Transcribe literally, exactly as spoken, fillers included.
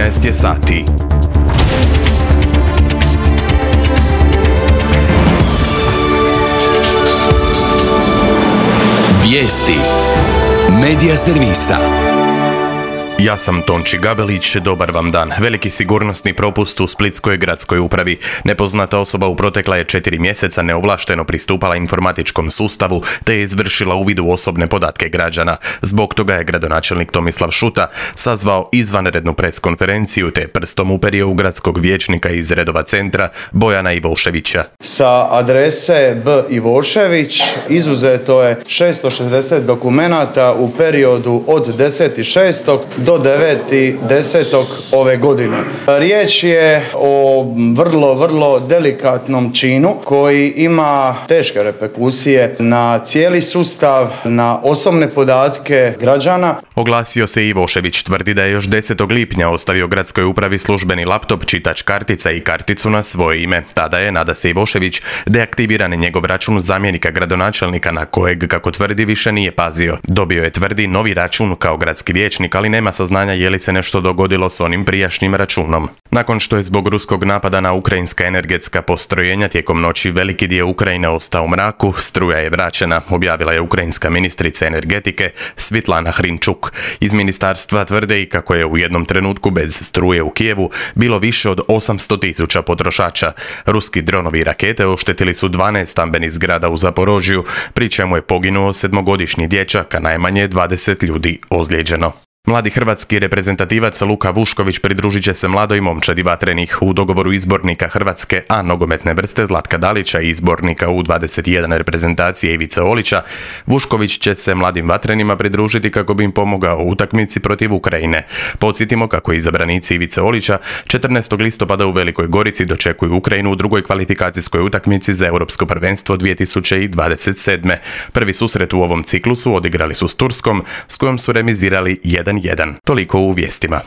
četrnaest je sati. Vijesti Medija servisa. Ja sam Tonči Gabelić, dobar vam dan. Veliki sigurnosni propust u Splitskoj gradskoj upravi. Nepoznata osoba u protekla je četiri mjeseca neovlašteno pristupala informatičkom sustavu te je izvršila uvid u osobne podatke građana. Zbog toga je gradonačelnik Tomislav Šuta sazvao izvanrednu preskonferenciju te prstom uperio u gradskog vijećnika iz redova centra Bojana Ivoševića. Sa adrese B. Ivošević izuzeto je šesto šezdeset dokumenata u periodu od deset šestog do devet desetog ove godine. Riječ je o vrlo, vrlo delikatnom činu koji ima teške reperkusije na cijeli sustav, na osobne podatke građana. Oglasio se Ivošević, tvrdi da je još desetog lipnja ostavio gradskoj upravi službeni laptop, čitač kartica i karticu na svoje ime. Tada je, nada se Ivošević, deaktiviran njegov račun zamjenika gradonačelnika na kojeg, kako tvrdi, više nije pazio. Dobio je, tvrdi, novi račun kao gradski vijećnik, ali nema saznanja je li se nešto dogodilo s onim prijašnjim računom. Nakon što je zbog ruskog napada na ukrajinska energetska postrojenja tijekom noći veliki dio Ukrajine ostao u mraku, struja je vraćena, objavila je ukrajinska ministrica energetike Svitlana Hrinčuk. Iz ministarstva tvrde i kako je u jednom trenutku bez struje u Kijevu bilo više od osamsto tisuća potrošača. Ruski dronovi i rakete oštetili su dvanaest stambenih zgrada u Zaporožju, pri čemu je poginuo sedmogodišnji dječak, a najmanje dvadeset ljudi ozlijeđeno. Mladi hrvatski reprezentativac Luka Vušković pridružit će se mladoj momčadi Vatrenih u dogovoru izbornika Hrvatske A nogometne vrste Zlatka Dalića i izbornika U dvadeset jedan reprezentacije Ivice Olića. Vušković će se mladim Vatrenima pridružiti kako bi im pomogao u utakmici protiv Ukrajine. Podsjetimo kako izabranici Ivice Olića četrnaestog listopada u Velikoj Gorici dočekuju Ukrajinu u drugoj kvalifikacijskoj utakmici za Europsko prvenstvo dvije tisuće dvadeset sedme. Prvi susret u ovom ciklusu odigrali su s Turskom, s kojom su remizirali jedan jedan. Toliko u vijestima.